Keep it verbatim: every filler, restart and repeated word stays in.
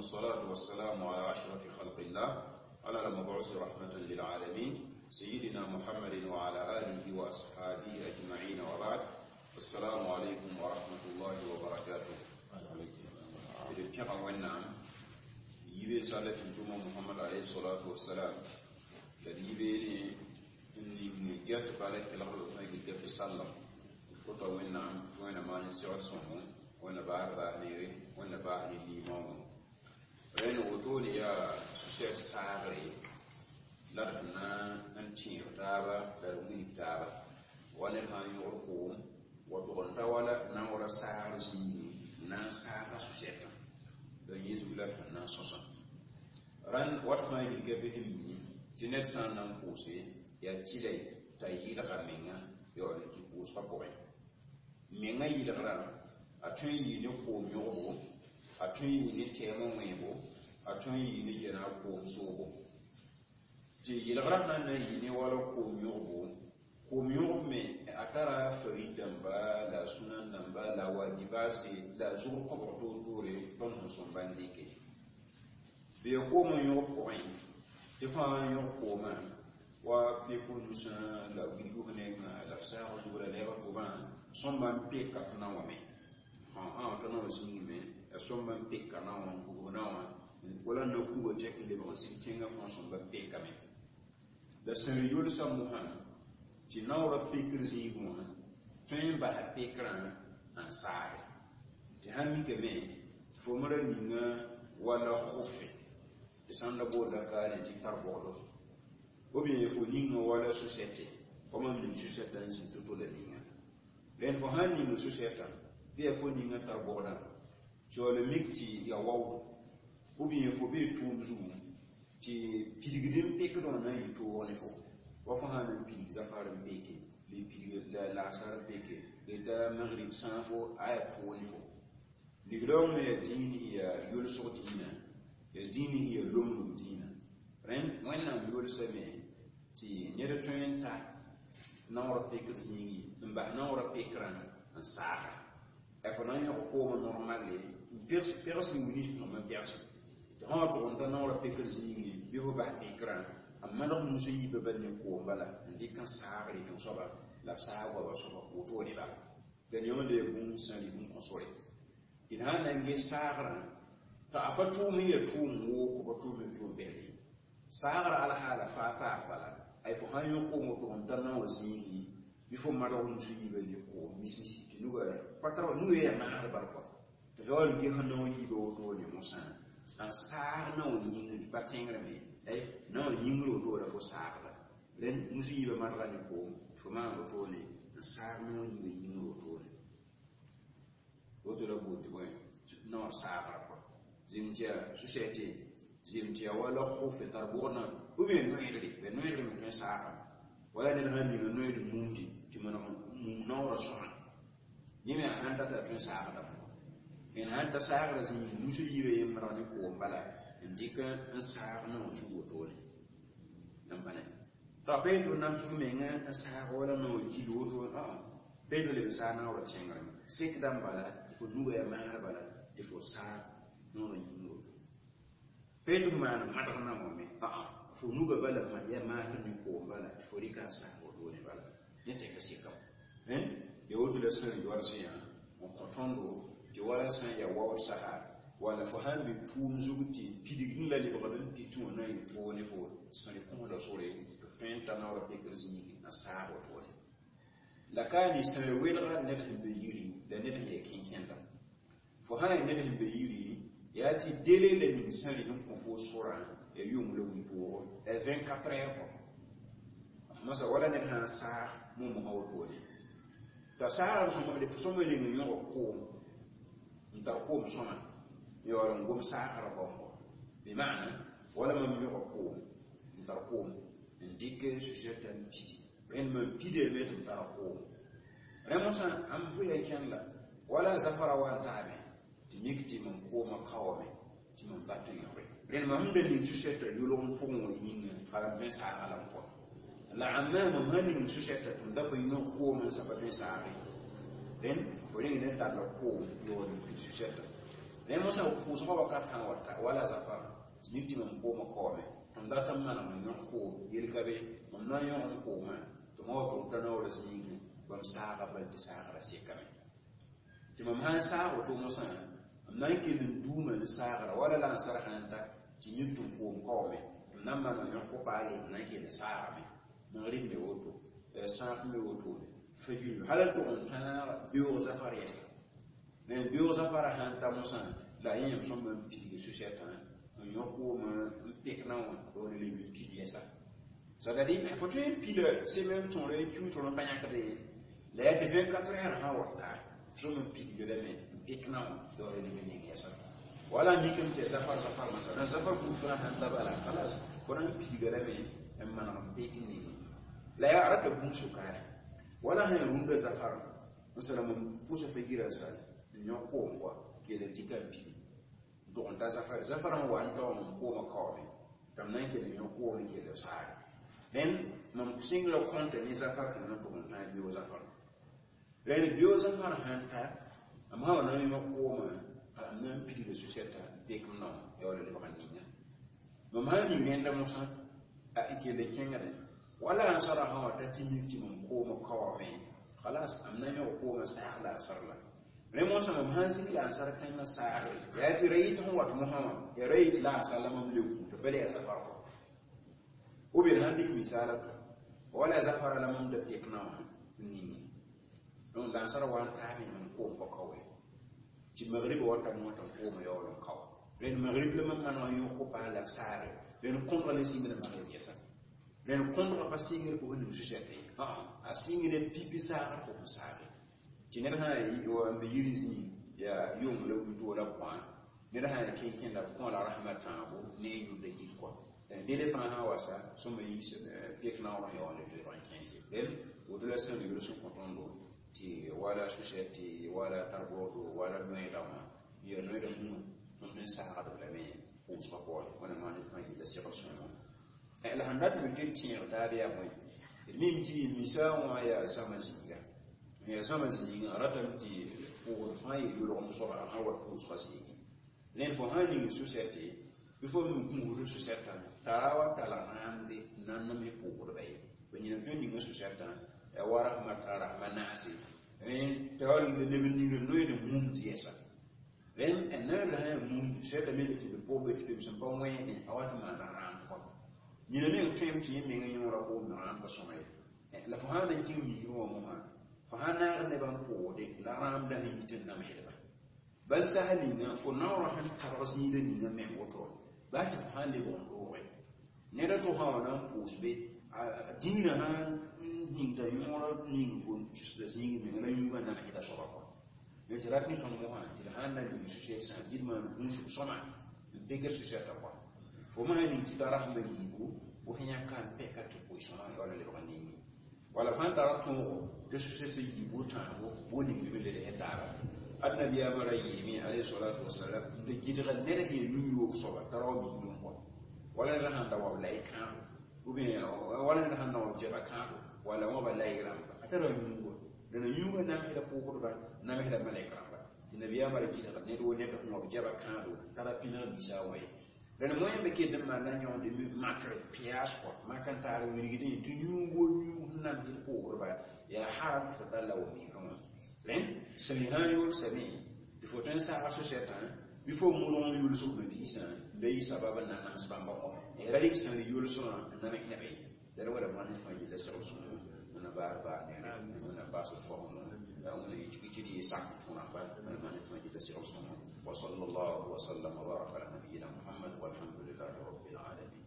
الصلاة والسلام على أشرف خلق الله، على المبعوث رحمة للعالمين، سيدنا محمد وعلى آله وأصحابه أجمعين، وبعد، السلام عليكم ورحمة الله وبركاته. إذا كان وإنعم يبي سالة محمد عليه الصلاة والسلام لدي n get bala kelgr b get tɩ sallem kota Wẽnnaam tɩ Wẽnna maan n segd sõngo, Wẽnna baas baas neere, Wẽnna baas ne limaoongõ. Rẽnd wotone yaa su-sɛt saagre la d sẽn na n tẽeg taaba la d wilg taaba wa ned sã n yõgd koom wa tʋg n ta wala naoora saagr zĩigi n na n saaga su-sɛtã la yẽ zug la d sẽn na n sõsã. Rãnd wat fãa yilga bɩ sẽn mi tɩ ned sã n na n pʋʋse yaa tɩlɛ t'a yɩlga menga yaool n kɩ pʋʋsgã pʋgẽ. Menga yɩlgrã a tõe n yɩ ne koom yõgbo, a tõe n yɩ ne tɛɛmã wẽebo, a tõe n yɩ ne yɛna koom soobo. Tɩ yɩlgrã sã n na n yɩ ne wala koom yõgbo, koom yõgb me a tara farid dãmba la a sũnan dãmba la a wajibaase la a zugr kõbg toor-toore tõnd sẽn sõmba n dɩke. Bɩ ya koomã yõgb pʋgẽ tɩ fãa yõg koomã wa peko nusã la wilg f nengã la f saag zug la lɛɛg tʋbã sõmba n peka f naowã me t'a naowã zĩigme ya sõmba n peka naowã n bugb naowã wala n na kuga tɛk n lebg n sig tẽngã fãa sõmba pekame. La sẽn yolsa mosã tɩ naoorã pekr zĩig wã tõe n basa pekrã n saage tɩ sãn mikame tɩ fo me ra ninga wala khʋfe tɩ sãn da boolda kaane tɩ tar bogdo ou bien fo ninga wala su-sɛte wa mam ning su-sɛta n zĩ to-to la ninga. Rẽnd fo sãn ning su-sɛta bɩ yaa fo ninga tar bogdã tɩ wala mik tɩ ya waood ou bien fo bee tʋʋm zugu tɩ pidgd n pekd wã na n yɩ toog ne fo wa fo sãn na n pidig zafar n peke bɩ pidig laasar n peke bɩ ta magrib sãa fo a yaa toog ne fo. Ligdã me yaa dĩin yaa yolsg dĩinã, yaa dĩin yaa lomlem dĩinã. Rẽnd Wẽnnaam yolsame tɩ ned tõe n ta naoorã pekd zĩigi n bas naoorã pekrã n saaga a fo na n yõg koomã normalle n pegs n wilg sõm n pegse tɩ sã wa tʋg n ta naoorã pekr zĩigi bɩ fo bas pekrã n maneg nus n yiibã bal ne koom bala n dɩk n saag rɩk n soaba la b saag goaba soaba wotone bala la yõnd yaa bũmb sã rɩ bũmb kõ sore d sã n na n ges saagrã t'a a pa tʋʋm n yaa tʋʋm wooko pa tʋʋm n tʋʋm bɛle saagrã alhaala faa faag bala ay fo sãn yõ koom woto n ta naoã zĩigi bɩ fo maneg nus n yiibã ne koom mis-misi tɩ nuga pa tar nuga yaa maasd bal kɔa tɩ fa wall ges naoã yiibã wotone mosã n saag naoã yĩngri pa tẽngrame ay naoã yĩngri wotore fo saagda. Rẽnd nus yiibã manega ne koom tɩ fo maan wotone n saag naoã yiibã yĩngri wotone woto la bool tɩ bõe naoã saagra kɔa zem tɩ yaa su-sɛte zem tɩ yaa wala khʋfe tar bʋgdã ou bien noeedre bɩ noeedre me tõe n saagame wala ned sãn ninga noeed mumdi tɩ maneg mum naoorã sõma yẽ me a sãn tata tõe n saagda fo n sãn ta saagrã zĩig nus yiibã yẽ maneg ne koom bala n dɩk n saag naoã zug wotone n pa ne t'a pa tɩ namsg menga n saag wala naoã yil woto pa tɩ leb n saag naoorã tẽngrẽ sekdã n bala tɩ fo nuga yaa maasr bala tɩ fo saag naoorã yĩngr woto pa tɩ f maan madg naoã me fo nuga bala yaa maasr ne koom bala tɩ fo rɩka n saag wotone bala yẽ tɛka sekam ya woto la sẽn yoals yã n kõ tõndo tɩ wala sã n yaa waood sasa wala fo sãn be tʋʋm zug tɩ pidgd la lebgd n pit wã na n yɩ toog ne fo sẽn kõsda sore tɩ f tõe n ta naoorã pekr zĩigi n saag wotone la ka ne sẽn welga ned sẽn be yiri la ned sẽn yaa kẽnkẽndã. Fo sã yaa ned sẽn be yiri yaa tɩ dele la ning sẽn rɩk n kõ fo sorã ya yʋng la wĩ-poogo vingt-quatre heures kɔ masa wala ned sã n saag mumsã wotone t'a saagrã sõma sõma ning n yõg koom n tar koom sõma yaool n gom saagrã baoongɔ bɩ maana wala mam yõga koom n tar koom n dɩk su-sɛta n pidi rẽnd mam pidame tɩ m tara koom rẽ mosã am vʋya kẽnd la wala zafara wa n taame tɩ mik tɩ mam koomã kaoome tɩ mam bat n yõge rẽnd mam sẽn da ning su-sɛta yʋlg n pʋgẽ wã yĩnga ka ram tõe n saaga la n kɔ la amma mam sãn ning su-sɛta tɩ m da pa yõg koom n sa pa tõe n saage rẽnd fo rẽng ne talla koom yaool n pid su-sɛta. Rẽ mosã pʋʋsgã wakat sã n wa ta wala zafar tɩ mik tɩ mam koomã kaoome mam dat n maneg n yõk koom yel ka be mam na n yõg n koomã tɩ ma wa tʋg t'a naoorã zĩigẽ bãmb saaga bal tɩ saagrã sekame tɩ mam sã n saag woto mosã m na n kell n duuma ne saagra wala la ansar sã n ta tɩ mik tɩ m koom kaoome m na n maneg n yõk ko-paale m na n kell n saagame magrib me woto sãaf me wotone fajir hal n tʋg n tãag beoog zafar yɛsa mais beoog zafara sã n ta mosã la yẽ yãmb sõma n pilge su-sɛtã n yõk koomã n pek na wã dool leb n pil yɛsa c'est-à-dire fo tõe n pila semaine tõore n kiu tõr n pa yãkde la yaa tɩ vingt-quatre heures sã wa ta sõm n pilgdame n pek na wã dool leb n ning yɛsa wala mikame tɩ zafar zafar masã la zafar buud fãa sãn ta bala kalas fo na n pilgdame n maneg n pek n ninge la yaa rata bũmb sʋkaare wala sã rũndã zafar masala mam pʋsa fa yirã sal n yõk koom kɔa kell n dɩka n pili n tʋg n ta zafar zafar sẽn wa n ta wã mam koomã kaoome tɩ m na n kell n yõk koom n kell saare rẽnd mam sɩngrã kõnta ne zafar kãngã n tʋg n tãag beoog zafar rẽnd beoog zafar sãn ta m sã wa na n yõk koomã m na n pilga su-sɛta n pek m nao ya wala lebg n ninga mam sã n ning rẽnda mosã n kell n kẽngdẽ wala ansara sã wa ta tɩ mik tɩ mam koomã kaoome khalas m na n yõg koomã saag la ansar la rẽ mosã mam sã n sik la ansar kãengã saagre yaa tɩ ra yɩt sẽn wat mosã wã ya ra yɩt la ansar la mam le kũta bala yaa zafar kɔ ou bien sãn dɩk misaala tɔ wala zafara la mam da pek na wã n ninge donc la ansar wa n taame mam koom pa kaoe tɩ magribã wata mosã tɩ m koomã yaool n kao rẽnd magrib la mam maneg n yõk ko-paas la saare rẽnd kõdga ne sɩngda magrib yɛsa rẽnd kõdga pa sɩngr fo sẽn ning su-sɛte a sɩngd pipi saagr fo sẽn saage tɩ ned sã n be yiri zĩig yaa yʋng la wito la kɔã ned sã n kẽ kẽnda b kõ la rasmã tãabo ne a yʋnda gil kɔa dele fãa sã wa sa sõma yiis pek naoor n yaool n zoeeg n kẽese rẽnd woto la sẽn yols n kõ tõndo tɩ wala su-sɛte wala tar-boogdo wala noeeda wã ya noeeda mumã tõnd n saagd lame pʋʋsgã pʋgẽ wẽnnaam maan d fãa yella segl sõngo la sẽn dat me tɩ d tẽeg taab yaa bõe d mim tɩ misa wã yaa zãma zĩiga yaa zãma zĩigã a ratame tɩ pʋʋgd fãa yel yolgem soaba a sã wa pʋʋsgã zĩigẽ rẽnd fo sã ning su-sɛte bɩ fo me gũusd su-sɛtã tara wa tala rãamde n na n name pʋʋgdba ye ba yĩna tõe n ninga su-sɛtã ya wa rasmã tara rasmã naase rẽnd t'a wa leb n ningd noeed mumd yɛsa rẽnd noeed sã yaa mumd sɛtame tɩ d pʋgb tɩ pem sẽn pa wẽede a wa tɩ maana rãam kɔ yĩna meng tõem tɩ yẽ meng yõora koom rãam pa sõma ye la fo sã na n kẽng migrẽ wã mosã fo sã naag nebã n pʋʋgde la rãam la sẽn yit n namsdba bal sasa ninga fo naoorã sẽn tabg zĩigã ninga meng woto baa tɩ fo sã n lebg n dooge ned a to sã wa na n pʋʋs be dĩinã sã n ning t'a yõora ning fo tusda zĩig menga la yũugã namsda soaba kɔ tɩ rat ne tõnd mosã tɩ d sã n na ning su-sɛt sã dɩd maan gũusg sõma n pekr su-sɛtã kɔa fo maa ning tɩ t'a rasmã yiibu fo sẽn yãk n pɛka tɩ pʋɩ-sõma ya wala lebg n ninge wala fãa tara tõogo tɩ su-sɛt yiibu tãabo bo ning b led taaba ad nabiyaamã ra yeeme alayhi salatu wasalam n tɩ gɩdga ned sẽn yaa yũ-yoog soaba t'a rao miiglem kɔ wala ned sãn da wa b la y kãabo ou bien wala ned sãn da wa b jɛba kãabo wala wã ba la y rãmba a tara yũuga dẽna yũuga namsda pʋʋsdba namsda malɛk rãmba tɩ nabiyaamã ra gɩdga ned wo ned sẽn wa b jɛba kãabo t'a ra pĩneg bisa wa ye dẽn moẽ be kell n maanda yõgde makr pɩaas kɔ mak n taar wilgdẽ tɩ yũugo yũug sẽn namsd pʋʋsdba yaa haram tɩ fo tall la wa migrẽ wã rẽnd sẽn sã n yool same tɩ fo tõe n saaga so-sɛtã bɩ fo modg n yʋlsg mabiisã n be yɩ sabab n na n nams bãmba kɔ ra rɩk sẽn yʋlsgã n nams neb ye la d wala maan fãa yella segl sõngo wẽnna baar baar neere wẽnna baas d faoongã wẽnna yɩ tɩ d yɩ sak tũ rãmba wẽnna maan fãa yella segl sõngo وصلى الله وسلم وبارك على نبينا محمد والحمد لله رب العالمين.